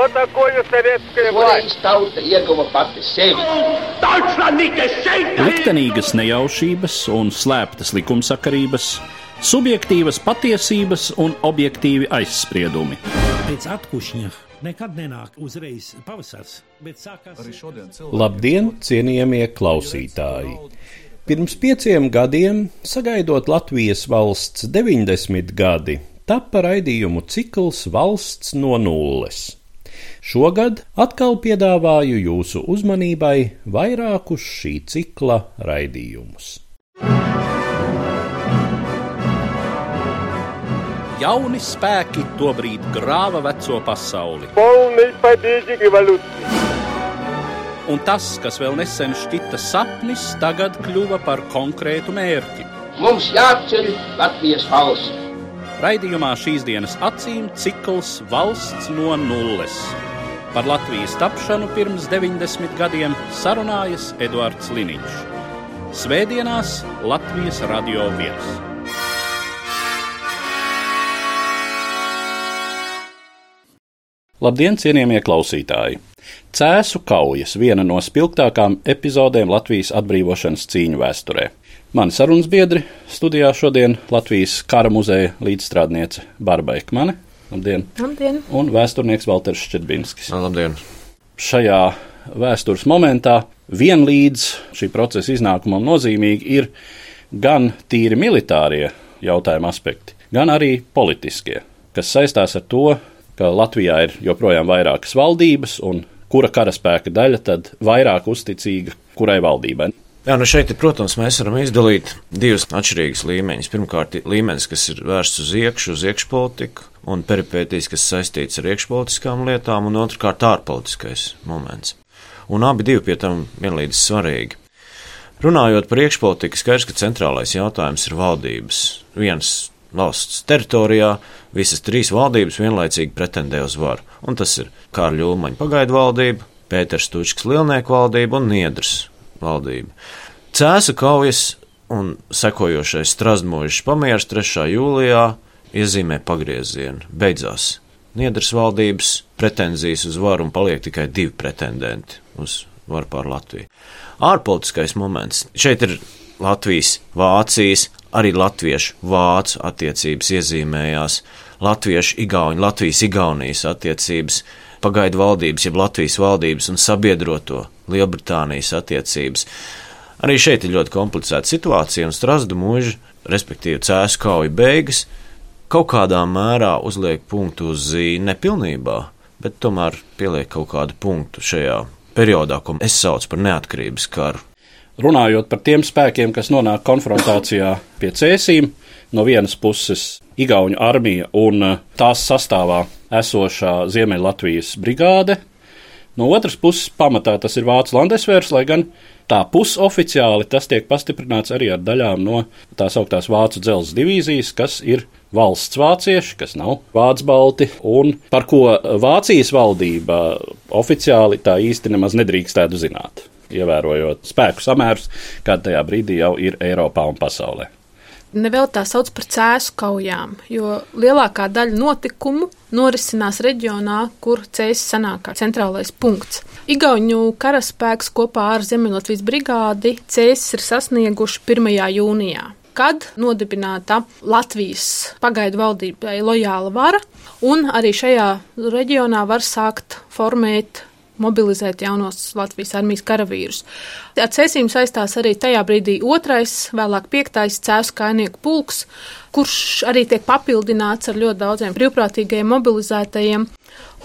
Что такое советская власть? Liktenīgas nejaušības un slēptas likumsakarības, subjektīvas patiesības un objektīvi aizspriedumi. Pēc atkušņa nekad nenāk uzreiz pavasars, bet sākās... Labdien, cienījamie klausītāji! Pirms 5 gadiem, sagaidot Latvijas valsts 90 gadi, tappa raidījumu cikls Valsts no nulles. Šogad atkal piedāvāju jūsu uzmanībai vairākus šī cikla raidījumus. Jauni spēki tobrīd grāva veco pasauli. Un tas, kas vēl nesen šķita sapnis, tagad kļuva par konkrētu mērķi. Mums jāceļ Latvijas valsts. Raidījumā šīs dienas acīm cikls Valsts no nulles. Par Latvijas tapšanu pirms 90 gadiem sarunājas Eduards Liniņš. Svētdienās Latvijas Radio 1. Labdien, cienījamie klausītāji! Cēsu kaujas viena no spilgtākām epizodēm Latvijas atbrīvošanas cīņu vēsturē. Mani sarunas biedri studijā šodien Latvijas kara muzeja līdzstrādniece Barba Ekmane. Labdien! Labdien! Un vēsturnieks Valters Ščedbinskis. Labdien! Šajā vēstures momentā vienlīdz šī procesa iznākumam nozīmīgi ir gan tīri militārie jautājuma aspekti, gan arī politiskie, kas saistās ar to, ka Latvijā ir joprojām vairākas valdības un kura karaspēka daļa tad vairāk uzticīga kurai valdībai. Jā, šeit, protams, mēs varam izdalīt divus atšķirīgus līmeņus. Pirmkārt, līmenis, kas ir vērsts uz iekšpolitiku un peripētīs, kas saistīts ar iekšpolitiskām lietām, un otrkārt ārpolitiskais moments. Un abi divi pie tam vienlīdz svarīgi. Runājot par iekšpolitiku, skaidrs, ka centrālais jautājums ir valdības. Viens valsts teritorijā visas 3 valdības vienlaicīgi pretendē uz varu. Un tas ir Kārļa Ulmaņa pagaidu valdība, Pēters Tučkas lielnieku valdība un Niedras valdība. Cēsu kaujas un sekojošais Strazdmuižas pamieris 3. jūlijā iezīmē pagriezienu. Beidzās Niedras valdības pretenzijas uz varu un paliek tikai 2 pretendenti uz varu pār Latviju. Ārpolitiskais moments. Šeit ir Latvijas, Vācijas, arī latviešu-vācu attiecības iezīmējās, latviešu-igauņu, Latvijas-Igaunijas attiecības, pagaidu valdības, jeb Latvijas valdības un sabiedroto Lielbritānijas attiecības. Arī šeit ir ļoti komplicēta situācija, un Strazdu muiža, respektīvi Cēsu kauju beigas, kaut kādā mērā uzliek punktu uz zīni nepilnībā, bet tomēr pieliek kaut kādu punktu šajā periodā, ko es saucu par neatkarības karu. Runājot par tiem spēkiem, kas nonāk konfrontācijā pie Cēsīm, no vienas puses Igauņu armija un tās sastāvā esošā Ziemeļlatvijas brigāde, no otras puses pamatā tas ir Vācu landesvērs, lai gan tā pusoficiāli tas tiek pastiprināts arī ar daļām no tās augtās Vācu dzelzs divīzijas, kas ir valsts vācieši, kas nav vācu balti, un par ko Vācijas valdība oficiāli tā īsti nemaz nedrīkstētu zināt, ievērojot spēku samērus, kāda tajā brīdī jau ir Eiropā un pasaulē. Nevēl tā sauc par Cēsu kaujām, jo lielākā daļa notikumu norisinās reģionā, kur Cēsis sanāk kā centrālais punkts. Igauņu karaspēks kopā ar Ziemeļlatvijas brigādi Cēsis ir sasnieguši 1. jūnijā, kad nodibināta Latvijas pagaidu valdībai lojāla vara, un arī šajā reģionā var sākt formēt mobilizēt jaunos Latvijas armijas karavīrus. Ar Cēsīm saistās arī tajā brīdī 2., vēlāk 5. Cēsu kājnieku pulks, kurš arī tiek papildināts ar ļoti daudziem brīvprātīgajiem mobilizētajiem.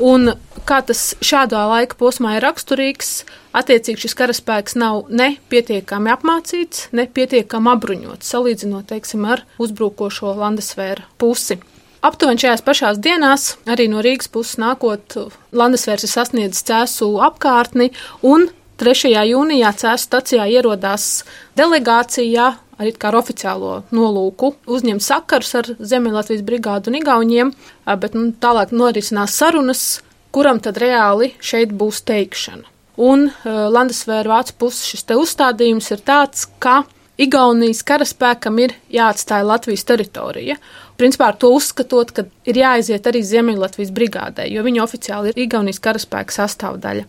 Un kā tas šādā laika posmā ir raksturīgs, attiecīgi šis karaspēks nav ne pietiekami apmācīts, ne pietiekami apbruņots, salīdzinot, teiksim, ar uzbrukošo landesvēra pusi. Aptuveni šajās pašās dienās, arī no Rīgas puses nākot, landesvērs ir sasniedzis Cēsu apkārtni, un 3. jūnijā Cēsu stacijā ierodās delegācijā, arī kā ar oficiālo nolūku, uzņemt sakarus ar Ziemeļlatvijas brigādu un igauņiem, bet tālāk norisinās sarunas, kuram tad reāli šeit būs teikšana. Un landesvēra Vācu puses šis te uzstādījums ir tāds, ka Igaunijas karaspēkam ir jāatstāja Latvijas teritorija. Principā ar to uzskatot, ka ir jāaiziet arī Ziemeļlatvijas brigādē, jo viņi oficiāli ir Igaunijas karaspēka sastāvdaļa.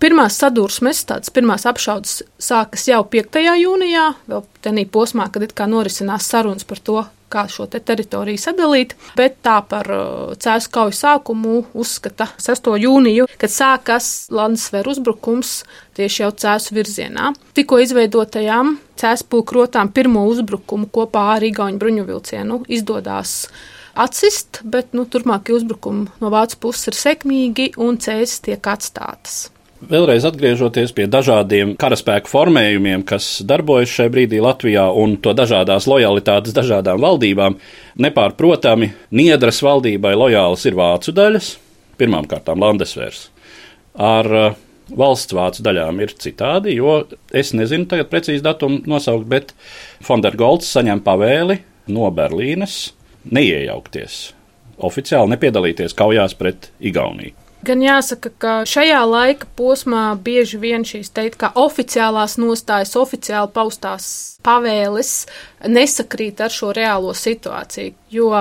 Pirmās sadursmes, tādas pirmās apšaudes sākas jau 5. jūnijā, vēl tenī posmā, kad it kā norisinās sarunas par to, kā šo teritoriju sadalīt, bet tā par Cēsu kauju sākumu uzskata 6. jūniju, kad sākas Landesvēru uzbrukums tieši jau Cēsu virzienā. Tikko izveidotajām Cēsu pulku rotām pirmo uzbrukumu kopā ar igauņu bruņuvilcienu izdodās atsist, bet turpmākie uzbrukumi no vācu puses ir sekmīgi un Cēsis tiek atstātas. Vēlreiz atgriežoties pie dažādiem karaspēku formējumiem, kas darbojas šajā brīdī Latvijā un to dažādās lojalitātes dažādām valdībām, nepārprotami Niedras valdībai lojālas ir vācu daļas, pirmām kārtām Landesvērs. Ar valsts vācu daļām ir citādi, jo es nezinu tagad precīzi datumu nosaukt, bet von der Goltz saņem pavēli no Berlīnes neiejaukties, oficiāli nepiedalīties kaujās pret Igauniju. Gan jāsaka, ka šajā laika posmā bieži vien šīs teikt, kā oficiālās nostājas, oficiāli paustās pavēles nesakrīt ar šo reālo situāciju, jo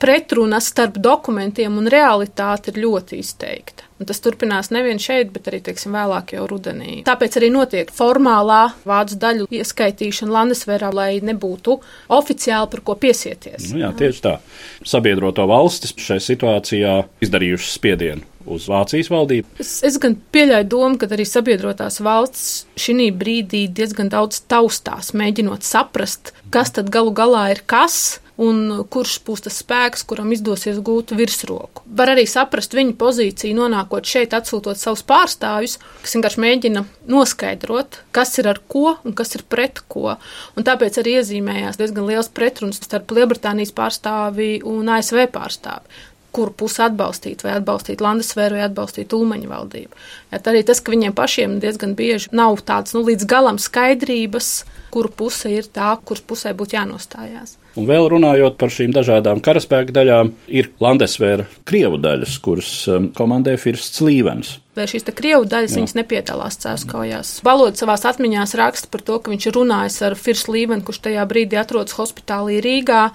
pretruna starp dokumentiem un realitāti ir ļoti izteikta. Un tas turpinās nevien šeit, bet arī, vēlāk jau rudenī. Tāpēc arī notiek formālā vācu daļu ieskaitīšana Landesvērā, lai nebūtu oficiāli par ko piesieties. Jā, tieši tā. Sabiedroto valstis šai situācijā izdarījušas spiedienu uz Vācijas valdību. Es gan pieļauju domu, ka arī sabiedrotās valsts šī brīdī diezgan daudz taustās, mēģinot saprast, kas tad galu galā ir kas un kurš būs tas spēks, kuram izdosies gūt virsroku. Var arī saprast viņu pozīciju, nonākot šeit, atsūtot savus pārstāvjus, kas vienkārši mēģina noskaidrot, kas ir ar ko un kas ir pret ko. Un tāpēc arī iezīmējās diezgan liels pretruns starp Lielbritānijas pārstāvi un ASV pārstāvi, kuru pusi atbalstīt, vai atbalstīt Landesvēru, vai atbalstīt Ulmaņa valdību. Arī tas, ka viņiem pašiem diezgan bieži nav tāds līdz galam skaidrības, kuru puse ir tā, kuras pusē būtu jānostājās. Un vēl runājot par šīm dažādām karaspēka daļām, ir Landesvēra krievu daļas, kuras komandē Firsts Līvens. Vai šīs krievu daļas viņas nepiedalās Cēsu kaujās? Balods savās atmiņās raksta par to, ka viņš ir runājis ar Firstu Līvenu, kurš tajā brīdī atrodas hospitālī Rīgā,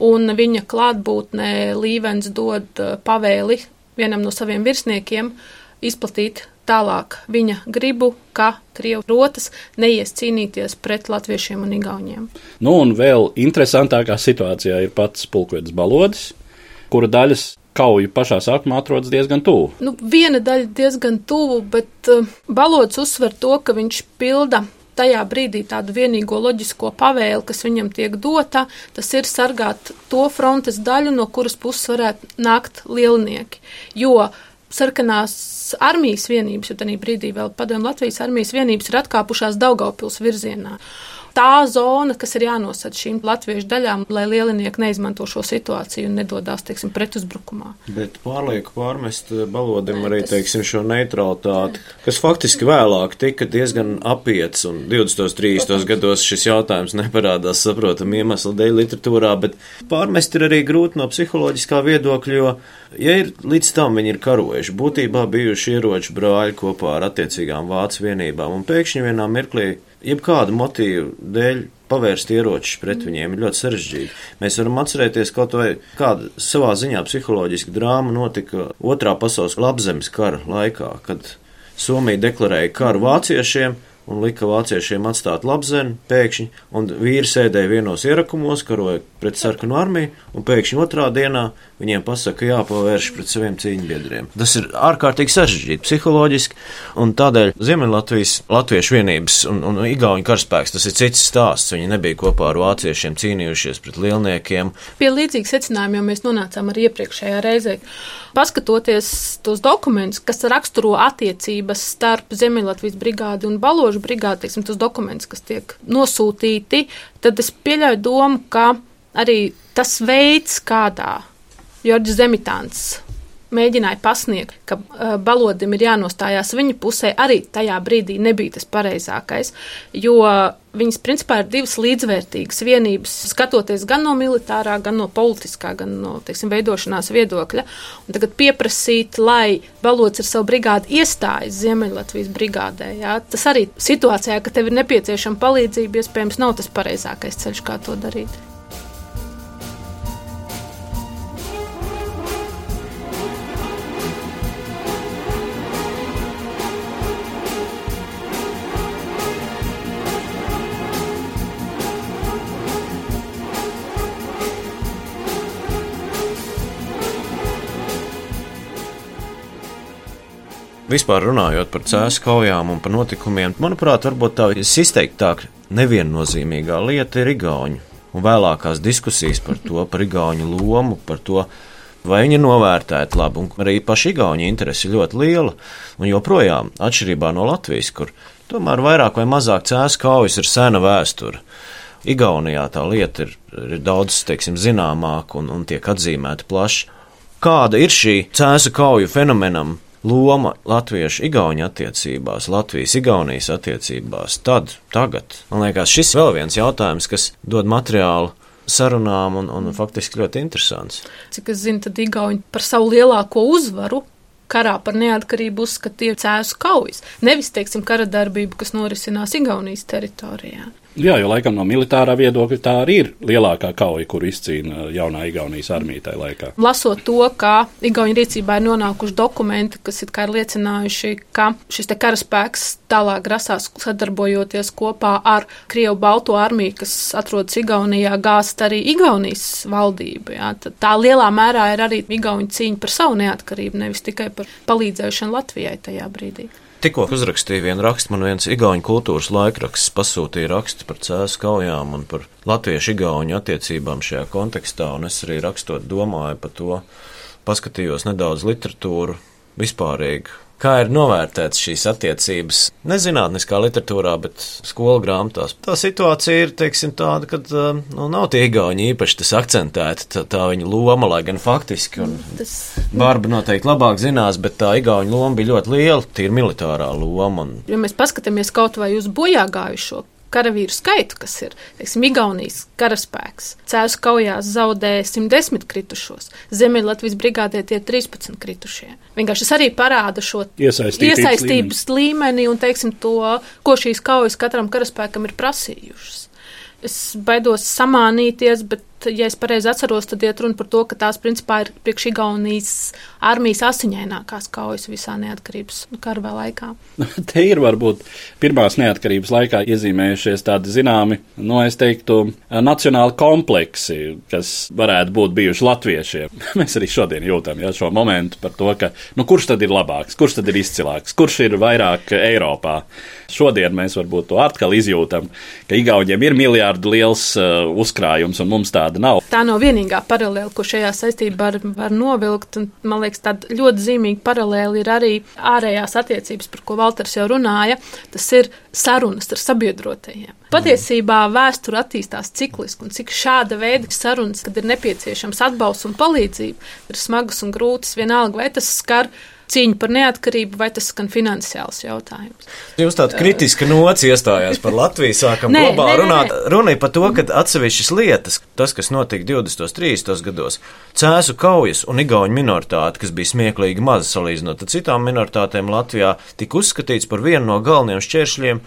un viņa klātbūtnē Līvens dod pavēli vienam no saviem virsniekiem izplatīt tālāk viņa gribu, ka krievu rotas neies cīnīties pret latviešiem un igauņiem. Un vēl interesantākā situācijā ir pats pulkvedis Balodis, kura daļas kauju pašā sākumā atrodas diezgan tuvu. Viena daļa diezgan tuvu, bet Balodis uzsver to, ka viņš pilda tajā brīdī tādu vienīgo loģisko pavēli, kas viņam tiek dota, tas ir sargāt to frontes daļu, no kuras puses varētu nākt lielnieki. Jo sarkanās armijas vienības, jo tajā brīdī vēl padomju Latvijas armijas vienības ir atkāpušās Daugavpils virzienā. Tā zona, kas ir jānosaka šīm latviešu daļām, lai lielinieki neizmanto šo situāciju un nedodās, pretuzbrukumā. Bet pārlieku pārmest Balodim arī, šo neutralitāti, kas faktiski vēlāk tika diezgan apiets, un 20. 30. gados šis jautājums neparādās saprotam iemeslu dēļ literatūrā, bet pārmest ir arī grūti no psiholoģiskā viedokļa, jo, ja ir līdz tam viņi ir karojuši, būtībā bijuši ieroču brāļi kopā ar attiecīgām vācu vienībām, un pēkšņi vienā mirklī jebkādu motīvu dēļ pavērst ieročus pret viņiem ir ļoti sarežģīti. Mēs varam atcerēties kaut vai kāda savā ziņā psiholoģiska drāma notika Otrā pasaules labzemes kara laikā, kad Somija deklarēja karu vāciešiem un lika vāciešiem atstāt Labzemi pēkšņi, un vīri sēdēja vienos ierakumos, karoja pret sarkanu armiju, un pēkšņi otrā dienā viņiem pasaka jāpavērš pret saviem cīņbiedriem. Tas ir ārkārtīgi sarežģīti psiholoģiski, un tādēļ Ziemeļlatvijas latviešu vienības un igauņu karaspēks tas ir cits stāsts. Viņi nebija kopā ar vāciešiem cīnījušies pret lielniekiem. Pie līdzīgas secinājuma jau mēs nonācām arī iepriekšējā reizē. Paskatoties tos dokumentus, kas raksturo attiecības starp Ziemeļlatvijas brigādi un Baložu brigādi, tos dokumentus, kas tiek nosūtīti, tad es pieļauju domu, ka arī tas veids, kādā Jorģis Zemitāns mēģināja pasniegt, ka Balodim ir jānostājās viņa pusē, arī tajā brīdī nebija tas pareizākais, jo viņas principā ir divas līdzvērtīgas vienības, skatoties gan no militārā, gan no politiskā, gan no, veidošanās viedokļa. Un tagad pieprasīt, lai Balods ar savu brigādi iestājas Ziemeļlatvijas brigādē, jā, tas arī situācijā, ka tev ir nepieciešama palīdzība, iespējams nav tas pareizākais ceļš, kā to darīt. Vispār runājot par cēsu kaujām un par notikumiem, manuprāt, varbūt tā izteiktāk neviennozīmīgā lieta ir igauņu. Un vēlākās diskusijas par to, par igauņu lomu, par to, vai viņi ir novērtēti labi. Un arī paši igauņu interesi ir ļoti liela. Un joprojām, atšķirībā no Latvijas, kur tomēr vairāk vai mazāk cēsu kaujas ir sena vēsture. Igaunijā tā lieta ir daudz, zināmāka un tiek atzīmēta plaši. Kāda ir šī cēsu kauju fenomenam loma latviešu-igauņu attiecībās, Latvijas-Igaunijas attiecībās, tagad? Man liekas, šis vēl viens jautājums, kas dod materiālu sarunām un faktiski ļoti interesants. Cik es zinu, tad igauņi par savu lielāko uzvaru karā par neatkarību uzskatīja cēsu kaujas. Nevis, kara darbību, kas norisinās Igaunijas teritorijā. Jā, jo laikam no militārā viedokļa tā arī ir lielākā kauja, kur izcīna jaunā Igaunijas armija tajā laikā. Lasot to, ka Igauņu rīcībā ir nonākuši dokumenti, kas ir liecinājuši, ka šis karaspēks tālāk grasās sadarbojoties kopā ar Krievu Balto armiju, kas atrodas Igaunijā, gāzt arī Igaunijas valdību. Jā. Tā lielā mērā ir arī Igauņu cīņa par savu neatkarību, nevis tikai par palīdzēšanu Latvijai tajā brīdī. Tikko uzrakstīju vienu rakstu, man viens igauņu kultūras laikraksts pasūtīja rakstu par cēsu kaujām un par latviešu-igauņu attiecībām šajā kontekstā, un es arī rakstot domāju par to, paskatījos nedaudz literatūru vispārīgi. Kā ir novērtēts šīs attiecības, nezinātniskā literatūrā, bet skolu grāmatās. Tā situācija ir, tāda, ka nav tie igauņi īpaši tas akcentēti, tā viņa loma, lai gan faktiski, un Bārba noteikti labāk zinās, bet tā igauņu loma bija ļoti liela, tīri militārā loma. Ja mēs paskatāmies kaut vai uz bojāgājušo karavīru skaitu, kas ir, Igaunijas karaspēks. Cēsu kaujās zaudēja 110 kritušos, Ziemeļlatvijas brigādē tie 13 kritušie. Vienkārši tas arī parāda šo iesaistības līmeni un, to, ko šīs kaujas katram karaspēkam ir prasījušas. Es baidos samānīties, bet, ja es pareizi atceros, tad iet runa par to, ka tās principā ir priekš Igaunijas armijas asiņainākās kaujas visā neatkarības kara laikā. Te ir varbūt pirmās neatkarības laikā iezīmējušies tādi zināmi, es teiktu, nacionāli kompleksi, kas varētu būt bijuši latviešiem. Mēs arī šodien jūtam šo momentu par to, ka kurš tad ir labāks, kurš tad ir izcilāks, kurš ir vairāk Eiropā. Šodien mēs varbūt to atkal izjūtam, ka Igauņiem ir miljārdu liels uzkrājums un mums tāda nav. Tā nav vienīgā paralēla, ko šajā saistībā var novilkt, un man liekas, tāda ļoti zīmīga paralēla ir arī ārējās attiecības, par ko Valters jau runāja, tas ir sarunas ar sabiedrotajiem. Patiesībā vēsture attīstās cikliski, un cik šāda veida sarunas, kad ir nepieciešams atbalsts un palīdzība, ir smagas un grūtas, vienalga, vai tas skar cīņu par neatkarību, vai tas skan finansiāls jautājums. Jūs tāda kritiska nots iestājās par Latviju, sākam globāli runāt. Runa ir par to, ka atsevišķas lietas, tas, kas notika 20. 30. gados, cēsu kaujas un igauņu minoritāte, kas bija smieklīgi maza salīdzinot ar citām minoritātēm Latvijā, tika uzskatīts par vienu no galvenajiem šķēršļiem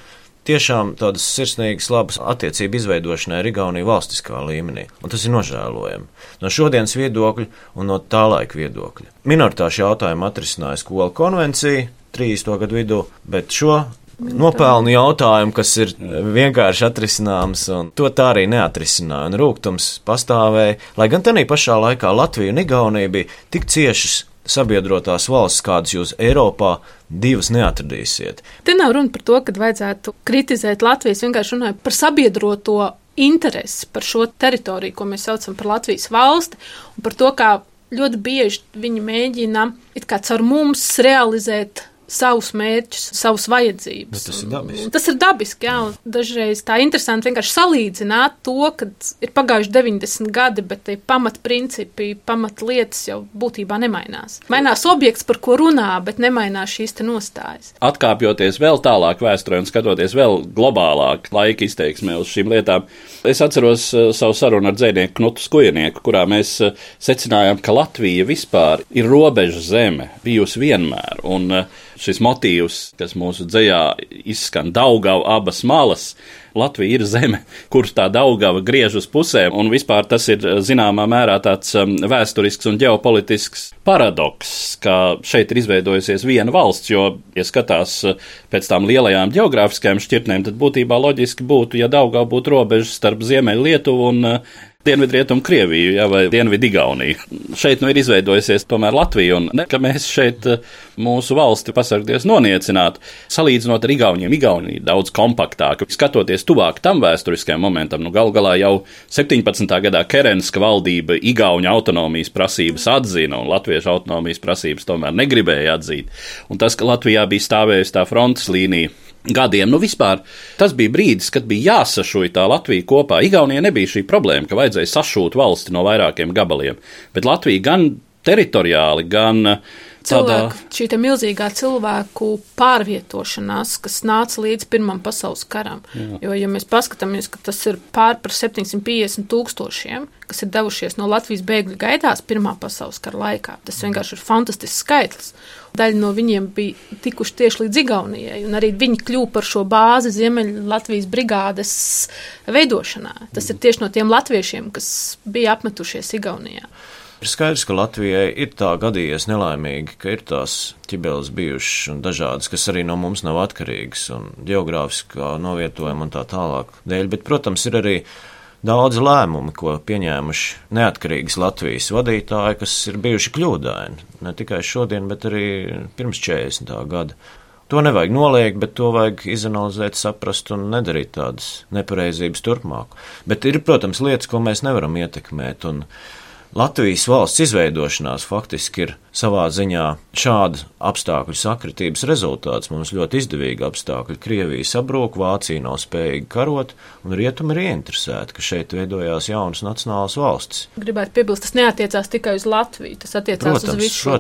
tiešām tādas sirsnīgas, labas attiecību izveidošanai ar Igauniju valstiskā līmenī. Un tas ir nožēlojami. No šodienas viedokļa un no tā laika viedokļa. Minoritāšu jautājumu atrisināja Skolu konvencija 30. gadu vidū, bet šo nopelnu jautājumu, kas ir vienkārši atrisināms, un to tā arī neatrisināja. Un rūgtums pastāvēja, lai gan tanī pašā laikā Latvija un Igaunija bija tik ciešas sabiedrotās valsts, kādas jūs Eiropā divas neatradīsiet. Te nav runa par to, ka vajadzētu kritizēt Latvijas, vienkārši runāju par sabiedroto interesi par šo teritoriju, ko mēs saucam par Latvijas valsti, un par to, kā ļoti bieži viņi mēģina it kā caur mums realizēt savus mērķus, savus vajadzības. Tas ir dabiski. Tas ir dabiski, jā, un dažreiz tā interesanti vienkārši salīdzināt to, kad ir pagājuši 90 gadi, bet tie pamatprincipi, pamatlietas jau būtībā nemainās. Mainās objekts, par ko runā, bet nemainās šīs te nostājas. Atkāpjoties vēl tālāk vēsturē un skatoties vēl globālāk laika izteiksmē uz šīm lietām, es atceros savu sarunu ar dzejnieku Knutu Skujenieku, kurā mēs secinājām, ka Latvija vispār ir robeža zeme, bijusi vienmēr, un šis motīvs, kas mūsu dzejā izskan Daugava abas malas, Latvija ir zeme, kur tā Daugava griež uz pusēm, un vispār tas ir zināmā mērā tāds vēsturisks un ģeopolitisks paradoks, ka šeit ir izveidojusies viena valsts, jo, ja skatās pēc tām lielajām ģeogrāfiskajām šķirtnēm, tad būtībā loģiski būtu, ja Daugava būtu robeža starp Ziemeļu Lietuvu un Dienvidrietumu Krieviju, vai Dienvidu Igauniju. Šeit ir izveidojusies tomēr Latvija, un ne, ka mēs šeit mūsu valsti pasargties noniecinātu. Salīdzinot ar Igauniem, Igaunija ir daudz kompaktāka. Skatoties tuvāk tam vēsturiskajam momentam, galu galā jau 17. gadā Kerenska valdība Igauņu autonomijas prasības atzina, un latviešu autonomijas prasības tomēr negribēja atzīt. Un tas, ka Latvijā bija stāvējusi tā frontes līnija gadiem, vispār tas bija brīdis, kad bija jāsašūj tā Latvija kopā. Igaunijai nebija šī problēma, ka vajadzēja sašūt valsti no vairākiem gabaliem, bet Latvija gan teritoriāli, gan Šī te milzīgā cilvēku pārvietošanās, kas nāca līdz Pirmam pasaules karam. Jā. Jo, ja mēs paskatāmies, ka tas ir pār par 750 000, kas ir devušies no Latvijas bēgļu gaitās Pirmā pasaules kara laikā, tas vienkārši ir fantastisks skaitlis. Daļa no viņiem bija tikuši tieši līdz Igaunijai, un arī viņi kļuva par šo bāzi Ziemeļu Latvijas brigādes veidošanā. Tas ir tieši no tiem latviešiem, kas bija apmetušies Igaunijā. Ir skaidrs, ka Latvijai ir tā gadījies nelaimīgi, ka ir tās ķibeles bijušas un dažādas, kas arī no mums nav atkarīgas un geogrāfiskā novietojuma un tā tālāk dēļ, bet, protams, ir arī daudz lēmumi, ko pieņēmuši neatkarīgas Latvijas vadītāji, kas ir bijuši kļūdaini, ne tikai šodien, bet arī pirms 40. gada. To nevajag noliegt, bet to vajag izanalizēt, saprast un nedarīt tādas nepareizības turpmāk. Bet ir, protams, lietas, ko mēs nevaram ietekmēt, un Latvijas valsts izveidošanās faktiski ir savā ziņā šāda apstākļu sakritības rezultāts. Mums ļoti izdevīgi apstākļi. Krievija sabrūk, Vācija nav spējīga karot, un rietumi ir ieinteresēti, ka šeit veidojās jaunas nacionālas valstis. Gribētu piebilst, tas neatiecās tikai uz Latviju, tas attiecās uz visu šo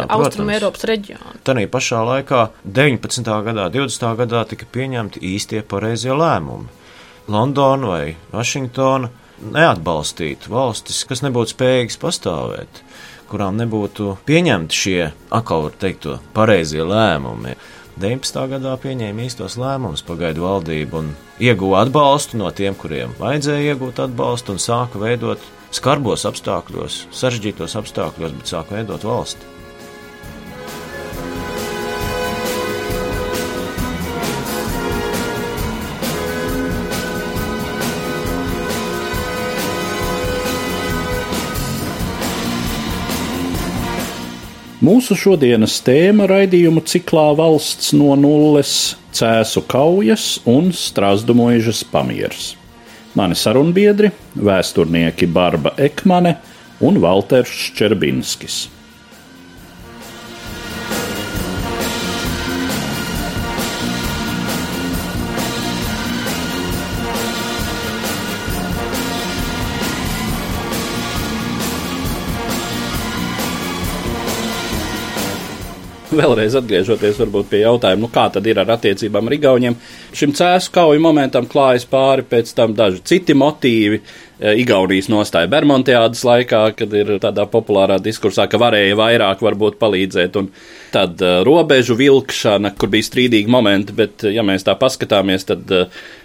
Austrumu Eiropas reģionu. Tanī pašā laikā 19. gadā, 20. gadā tika pieņemti īstie pareizie lēmumi. Londona vai Vašingtona neatbalstīt valstis, kas nebūtu spējīgas pastāvēt, kurām nebūtu pieņemti šie, atkal var teikt, to pareizie lēmumi. 19. gadā pieņēma īstos lēmumus pagaidu valdību un ieguva atbalstu no tiem, kuriem vajadzēja iegūt atbalstu, un sāka veidot skarbos apstākļos, sarežģītos apstākļos, bet sāka veidot valsti. Mūsu šodienas tēma raidījumu ciklā Valsts no nulles - Cēsu kaujas un Strazdu muižas pamieris. Mani sarunbiedri - vēsturnieki Barba Ekmane un Valters Ščerbinskis. Vēlreiz atgriežoties varbūt pie jautājuma, kā tad ir ar attiecībām ar Igauņiem. Šim Cēsu kauju momentam klājas pāri pēc tam daži citi motīvi. Igaunijas nostāja Bermontiādas laikā, kad ir tādā populārā diskursā, ka varēja vairāk varbūt palīdzēt, un tad robežu vilkšana, kur bija strīdīgi momenti, bet ja mēs tā paskatāmies, tad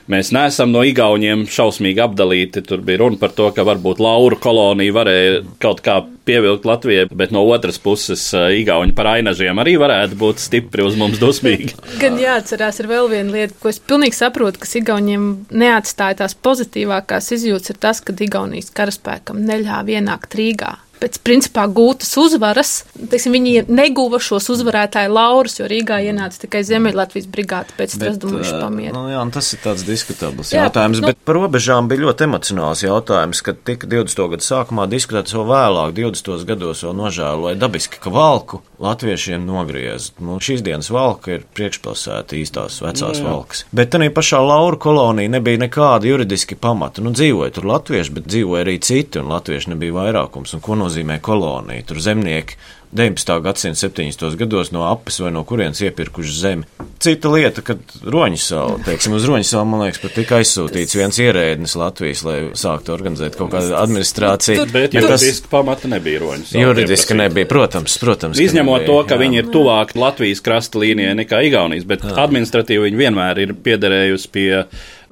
mēs neesam no Igauniem šausmīgi apdalīti. Tur bija runa par to, ka varbūt Lauru kolonija varēja kaut kā pievilkt Latvijai, bet no otras puses Igauņi par ainažiem arī varētu būt stipri uz mums dusmīgi. Gan jāatcerās ir vēl viena lieta, ko es pilnīgi saprotu, kas Igauniem neatstāja tās pozitīvākās izjūtas, ir tas, ka Igaunijas karaspēkam neļāva ienākt Rīgā. pēc principā gūtas uzvaras, teiksim, viņi neguva šos uzvarētāju laurus, jo Rīgā ienāca tikai Ziemeļlatvijas brigāde pēc Strazdumuļu pamiera. Jā, tas ir tāds diskutabls jautājums, bet par robežām bija ļoti emocionāls jautājums, kad tika 20. gadu sākumā diskutēts vēl vēlāk, 20. gados vēl nožēloja dabiski, ka Valku latviešiem nogriez. Šīs dienas Valka ir priekšpilsēta īstās vecās Valkas. Bet tā pašā Lauru kolonija nebija nekāda juridiski pamata. Dzīvoja tur latvieši, bet dzīvoja arī citi, un latvieši nebija vairākums. Un ko nozīmē kolonija? Tur zemnieki 19. gadsimta 70. gados no apes vai no kurienes iepirkuši zemi. Cita lieta, kad Roņsalu, uz Roņsalu, man liekas, pat tika aizsūtīts viens ierēdnis Latvijas, lai sāktu organizēt kaut kādu administrāciju. Bet juridiski pamata nebija Roņsalu. Juridiski nebija, protams. Izņemot to, ka viņi ir tuvāk Latvijas krasta līnijai nekā Igaunijas, bet administratīvi viņi vienmēr ir piederējusi pie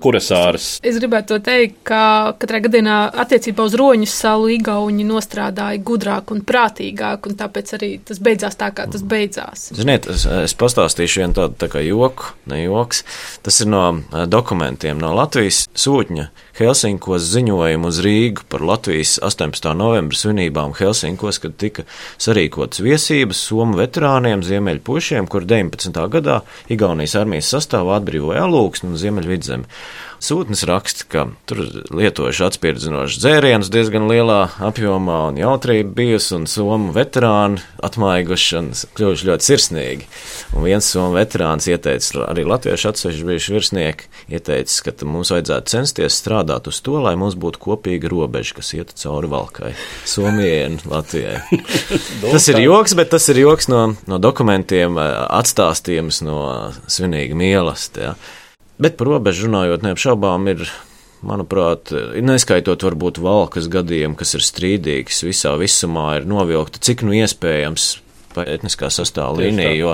Kurasāras. Es gribētu teikt, ka katrā gadījumā attiecībā uz Roņsalu Igauņi nostrādāja gudrāk un prātīgāk, un tāpēc arī tas beidzās tā, kā tas beidzās. Ziniet, es pastāstīšu vienu tādu tā kā joku, ne joks. Tas ir no dokumentiem no Latvijas sūtņa Helsinkos ziņojumu uz Rīgu par Latvijas 18. novembra svinībām Helsinkos, kad tika sarīkotas viesības somu veterāniem, ziemeļpušiem, kur 19. gadā Igaunijas armijas sastāvā atbrīvoja Alūksni un Ziemeļvidzemi. Sūtnis raksta, ka tur lietojuši atspirdzinošas dzērienus diezgan lielā apjomā un jautrība bijusi, un somu veterāni atmaiguši un kļuvuši ļoti sirsnīgi. Un viens somu veterāns ieteica, arī latviešu atsevišķi bijuši virsnieki, ieteica, ka mums vajadzētu censties strādāt uz to, lai mums būtu kopīga robeža, kas ietu cauri Valkai, Somijai un Latvijai. Tas ir joks, bet tas ir joks no dokumentiem, atstāstījums no svinīga mīlestība. Bet par robežu runājot, neapšaubām ir, manuprāt, neskaitot varbūt Valkas gadiem, kas ir strīdīgs, visā visumā ir novilkta, cik nu iespējams pa etniskā sastāva līnija, jo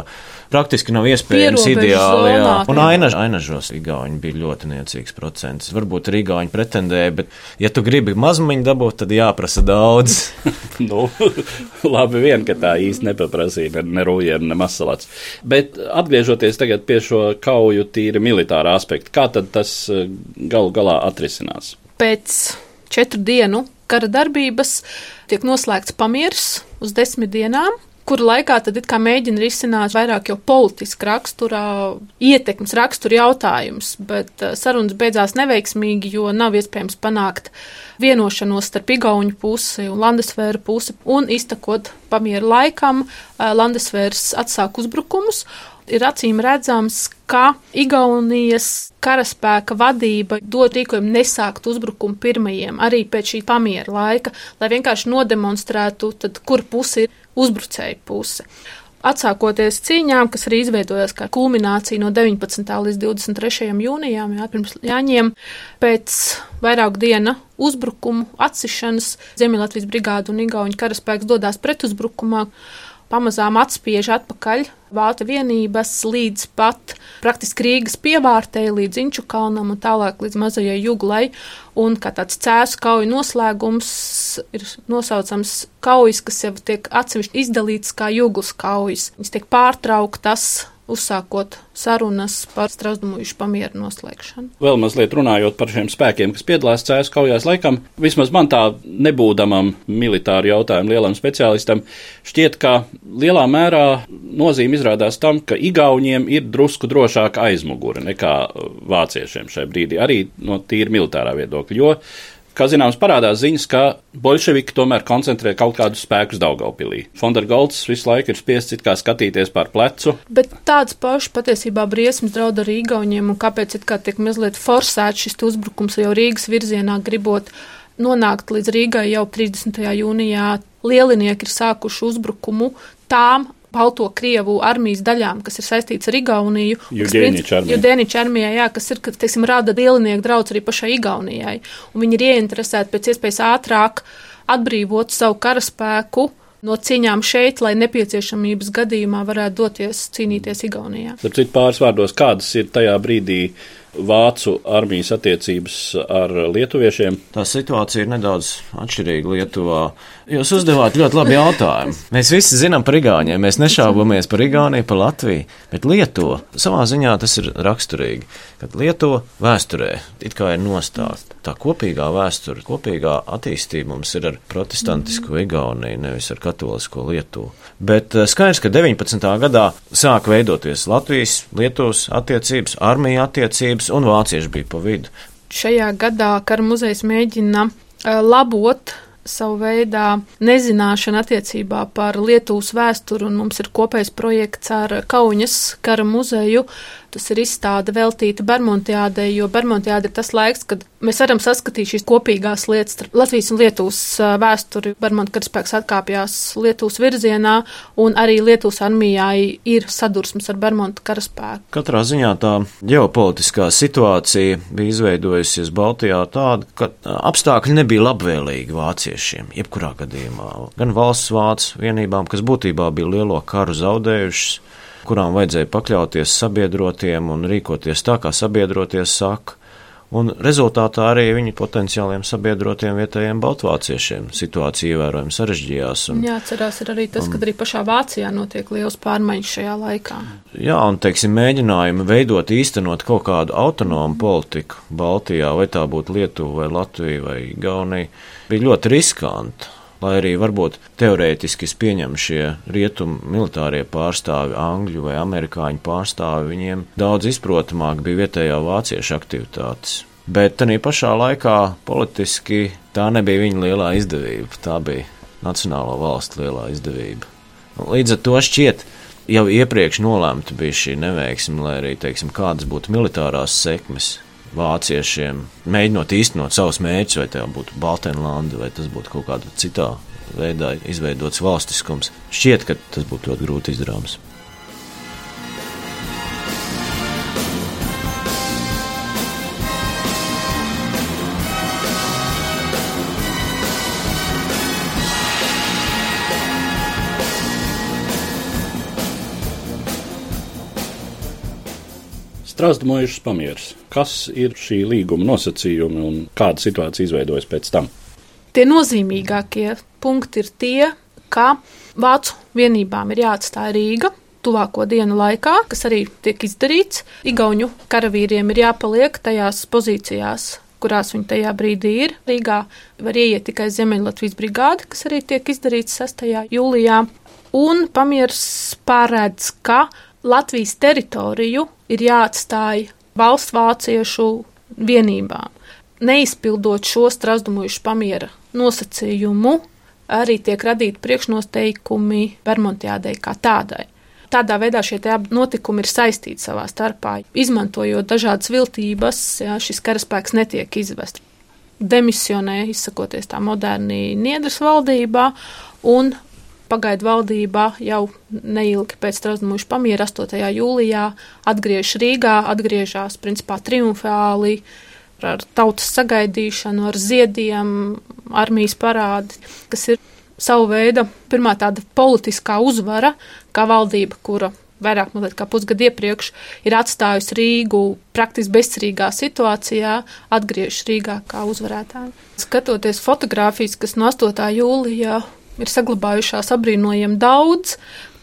praktiski nav iespējams ideāli. Un Ainažos igauņi bija ļoti niecīgs procents. Varbūt arī igauņi pretendēja, bet ja tu gribi mazmiņu dabūt, tad jāprasa daudz. Labi vien, ka tā īsti nepaprasīja ne Rūjēna, ne Masalats. Bet atgriežoties tagad pie šo kauju tīri militārā aspekta, kā tad tas galu galā atrisinās? Pēc 4 dienu kara darbības tiek noslēgts pamieris uz 10 dienām, kura laikā tad it kā mēģina risināt vairāk jau politiski raksturā, ietekmes rakstura jautājums, bet sarunas beidzās neveiksmīgi, jo nav iespējams panākt vienošanos starp Igauņu pusi un Landesvēra pusi, un iztekot pamiera laikam, Landesvērs atsāk uzbrukumus. Ir acīm redzams, ka Igaunijas karaspēka vadība dod rīkojumu nesākt uzbrukumu pirmajiem, arī pēc šī pamiera laika, lai vienkārši nodemonstrētu, tad, kur pusi ir uzbrucēja puse. Atsākoties cīņām, kas arī izveidojās kā kulminācija no 19. līdz 23. jūnijām, pirms Jāņiem, pēc vairāku dienu uzbrukumu atsišanas Ziemeļlatvijas brigāde un Igauņu karaspēks dodās pretuzbrukumā, pamazām atspiež atpakaļ Vāta vienības līdz pat praktiski Rīgas pievārtei, līdz Inču kalnam un tālāk līdz mazajai Juglai. Un kā tāds cēsu kauju noslēgums ir nosaucams kaujas, kas jau tiek atsevišķi izdalīts kā Juglas kaujas. Viņas tiek pārtrauktas, uzsākot sarunas par Strazdumuļu pamiera noslēgšanu. Vēl mazliet runājot par šiem spēkiem, kas piedalās cēsu kaujās, laikam, vismaz man tā nebūdamam militāru jautājumu lielam speciālistam, šķiet, ka lielā mērā nozīme izrādās tam, ka Igauņiem ir drusku drošāka aizmugure nekā vāciešiem šai brīdī, arī no tīri militārā viedokļa, jo, kā zināms, parādās ziņas, ka bolševiki tomēr koncentrē kaut kādus spēkus Daugavpilī. Fondergolds visu laiku ir spiests it kā skatīties pār plecu. Bet tāds pašs patiesībā briesmas draud arī Igauņiem, un kāpēc it kā tiek mazliet forsēts šis uzbrukums jau Rīgas virzienā, gribot nonākt līdz Rīgai jau 30. jūnijā. Lielinieki ir sākuši uzbrukumu tām Balto Krievu armijas daļām, kas ir saistīts ar Igauniju. Judēniča armijā, kas ir, teiksim, rada lielinieku draudz arī pašai Igaunijai. Un viņi ir ieinteresēti pēc iespējas ātrāk atbrīvot savu karaspēku no cīņām šeit, lai nepieciešamības gadījumā varētu doties cīnīties Igaunijā. Tāpēc pāris vārdos, kādas ir tajā brīdī Vācu armijas attiecības ar lietuviešiem? Tā situācija ir nedaudz atšķirīga Lietuvā. Jūs uzdevāt ļoti labu jautājumu. Mēs visi zinām par Igauņiem, mēs nešaubamies par Igauniju, par Latviju, bet Lietuva, savā ziņā tas ir raksturīgi, kad Lietuva vēsturē it kā ir nostāsta. Tā kopīgā vēsture, kopīgā attīstība mums ir ar protestantisko Igauniju, nevis ar katolisko Lietuvu. Bet skaidrs, ka 19. gadā sāk veidoties Latvijas, Lietuvas attiecības, armija attiecības un vācieši bija pa vidu. Šajā gadā Kara muzejs mēģina labot savu veidā nezināšanu attiecībā par Lietuvas vēsturi, un mums ir kopējs projekts ar Kaunas Kara muzeju. Tas ir izstāde veltīta Bermontiādei, jo Bermontiāde ir tas laiks, kad mēs varam saskatīt šīs kopīgās lietas starp Latvijas un Lietuvas vēsturi. Bermonta karaspēks atkāpjās Lietuvas virzienā, un arī Lietuvas armijai ir sadursmes ar Bermonta karaspēku. Katrā ziņā tā ģeopolitiskā situācija bija izveidojusies Baltijā tāda, ka apstākļi nebija labvēlīgi vāciešiem, jebkurā gadījumā. Gan valsts vācu vienībām, kas būtībā bija lielo karu zaudējušas, kurām vajadzēja pakļauties sabiedrotiem un rīkoties tā, kā sabiedroties saka, un rezultātā arī viņu potenciāliem sabiedrotiem vietējiem baltvāciešiem situācija ievērojami sarežģījās. Jāatcerās ir arī tas, ka arī pašā Vācijā notiek liels pārmaiņas šajā laikā. Jā, un, mēģinājumi veidot, īstenot kaut kādu autonomu politiku Baltijā, vai tā būtu Lietuva vai Latvija vai Igaunija, bija ļoti riskanti. Lai arī varbūt teorētiski pieņem šie rietumu militārie pārstāvi, angļu vai amerikāņu pārstāvi, viņiem daudz izprotamāk bija vietējā vāciešu aktivitātes. Bet tādā pašā laikā politiski tā nebija viņa lielā izdevība, tā bija nacionālo valstu lielā izdevība. Līdz ar to šķiet, jau iepriekš nolēmta bija šī neveiksme, lai arī, kādas būtu militārās sekmes vāciešiem, mēģinot īstenot savus mērķus, vai tā būtu Baltenlanda, vai tas būtu kaut kāda citā veidā izveidots valstiskums. Šķiet, ka tas būtu ļoti grūti izdarāms. Strazdumuižas pamieris. Kas ir šī līguma nosacījumi un kāda situācija izveidojas pēc tam? Tie nozīmīgākie punkti ir tie, ka vācu vienībām ir jāatstāj Rīga tuvāko dienu laikā, kas arī tiek izdarīts. Igauņu karavīriem ir jāpaliek tajās pozīcijās, kurās viņi tajā brīdī ir. Rīgā var ieiet tikai Ziemeļlatvijas brigāde, kas arī tiek izdarīts 6. jūlijā. Un pamieris paredz, ka Latvijas teritoriju ir jāatstāj valsts vāciešu vienībām. Neizpildot šo Strazdumuižas pamiera nosacījumu, arī tiek radīti priekšnoteikumi Bermontiādei kā tādai. Tādā veidā šie notikumi ir saistīti savā starpā. Izmantojot dažādas viltības, šis karaspēks netiek izvests. Demisionē, izsakoties tā moderni Niedras valdībā, un pagaidu valdībā jau neilgi pēc Strazdumuižas pamiera 8. jūlijā atgriežas Rīgā, atgriežas principā triumfāli ar tautas sagaidīšanu, ar ziediem, armijas parādi, kas ir savu veidu pirmā tāda politiskā uzvara, kā valdība, kura vairāk kā pusgadu iepriekš ir atstājusi Rīgu praktiski bezcerīgā situācijā, atgriežas Rīgā kā uzvarētāji. Skatoties fotogrāfijas, kas no 8. jūlijā ir saglabājušās abrīnojami daudz,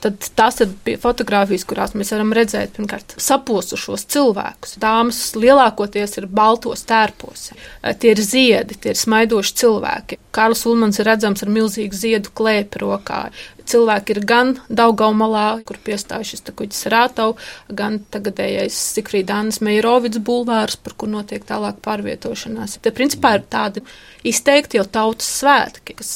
tad tās ir fotogrāfijas, kurās mēs varam redzēt, pirmkārt, saposušos cilvēkus. Dāmas lielākoties ir baltos tērpos. Tie ir ziedi, tie ir smaidoši cilvēki. Kārlis Ulmans ir redzams ar milzīgu ziedu klēpi rokā. Cilvēki ir gan Daugavmalā, kur piestāj šis kuģis Rātau, gan tagadējais Sigfrīda Annas Meijerovics bulvārs, par kur notiek tālāk pārvietošanās. Te principā ir tādi izteikti jau tautas svētki, kas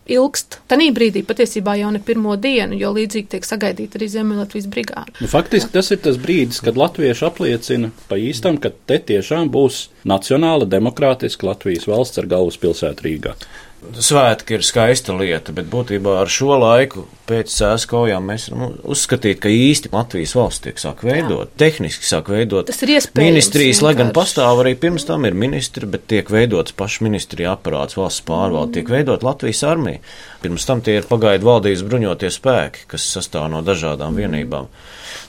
ilgst. Tanī brīdī patiesībā jau ne pirmo dienu, jo līdzīgi tiek sagaidīta arī Ziemeļlatvijas brigāde. Faktiski tas ir tas brīdis, kad latvieši apliecina pa īstam, ka te tiešām būs nacionāla demokrātiska Latvijas valsts ar galvaspilsētu Rīgā. Svētki ir skaista lieta, bet būtībā ar šo laiku pēc Cēsu kaujām mēs uzskatīt, ka īsti Latvijas valsts tiek sāk veidot, tehniski sāk veidot. Tas ir iespējams. Ministrijas, lai gan pastāv arī pirms tam ir ministri, bet tiek veidots paši ministrija aparāts, valsts pārvalde, tiek veidot Latvijas armija. Pirms tam tie ir pagaidu valdības bruņotie spēki, kas sastāv no dažādām vienībām.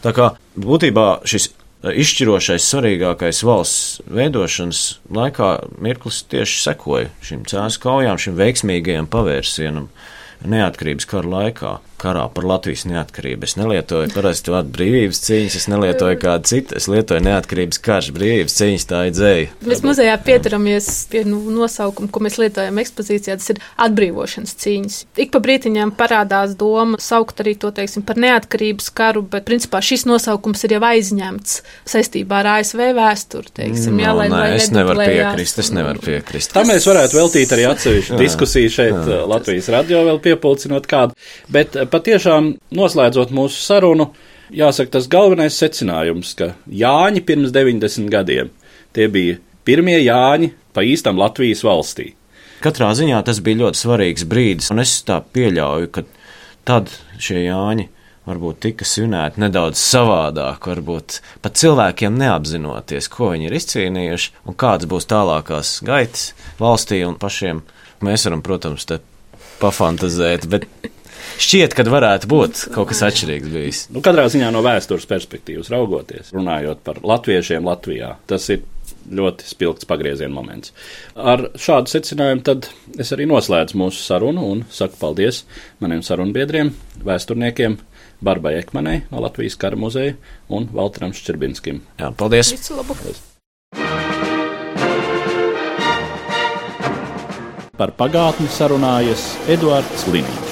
Tā kā būtībā šis izšķirošais, svarīgākais valsts veidošanas laikā mirklis tieši sekoja šim Cēsu kaujām, šim veiksmīgajam pavērsienam neatkarības kara laikā, karā par Latvijas neatkarību. Es nelietoju parasti vārdu brīvības cīņas, es nelietoju kādu citu, es lietoju neatkarības karš, brīvības cīņas, tā ir dzēja. Mēs muzejā pieturamies pie nosaukuma, ko mēs lietojam ekspozīcijā, tas ir atbrīvošanas cīņas. Ik pa brītiņām parādās doma saukt arī to, teiksim, par neatkarības karu, bet principā šis nosaukums ir jau aizņemts saistībā ar ASV vēsturi, teiksim. Es nevaru piekrist. Tā mēs varētu veltīt arī atsevišķu diskusiju šeit Latvijas radio vēl piepulcinot kādu, bet patiešām noslēdzot mūsu sarunu, jāsaka tas galvenais secinājums, ka Jāņi pirms 90 gadiem, tie bija pirmie Jāņi pa īstam Latvijas valstī. Katrā ziņā tas bija ļoti svarīgs brīdis, un es tā pieļauju, ka tad šie Jāņi varbūt tika svinēti nedaudz savādāk, varbūt pat cilvēkiem neapzinoties, ko viņi ir izcīnījuši un kādas būs tālākās gaitas valstī un pašiem. Mēs varam, protams, te pafantazēt, bet šķiet, ka varētu būt kaut kas atšķirīgs bijis. Katrā ziņā no vēstures perspektīvas raugoties, runājot par latviešiem Latvijā, tas ir ļoti spilgts pagrieziena moments. Ar šādu secinājumu tad es arī noslēdzu mūsu sarunu un saku paldies maniem sarunbiedriem, vēsturniekiem Barbai Ekmanei no Latvijas Kara muzeja un Valteram Ščerbinskim. Jā, paldies! Visu labu! Par pagātni sarunājas Eduards Liniņš.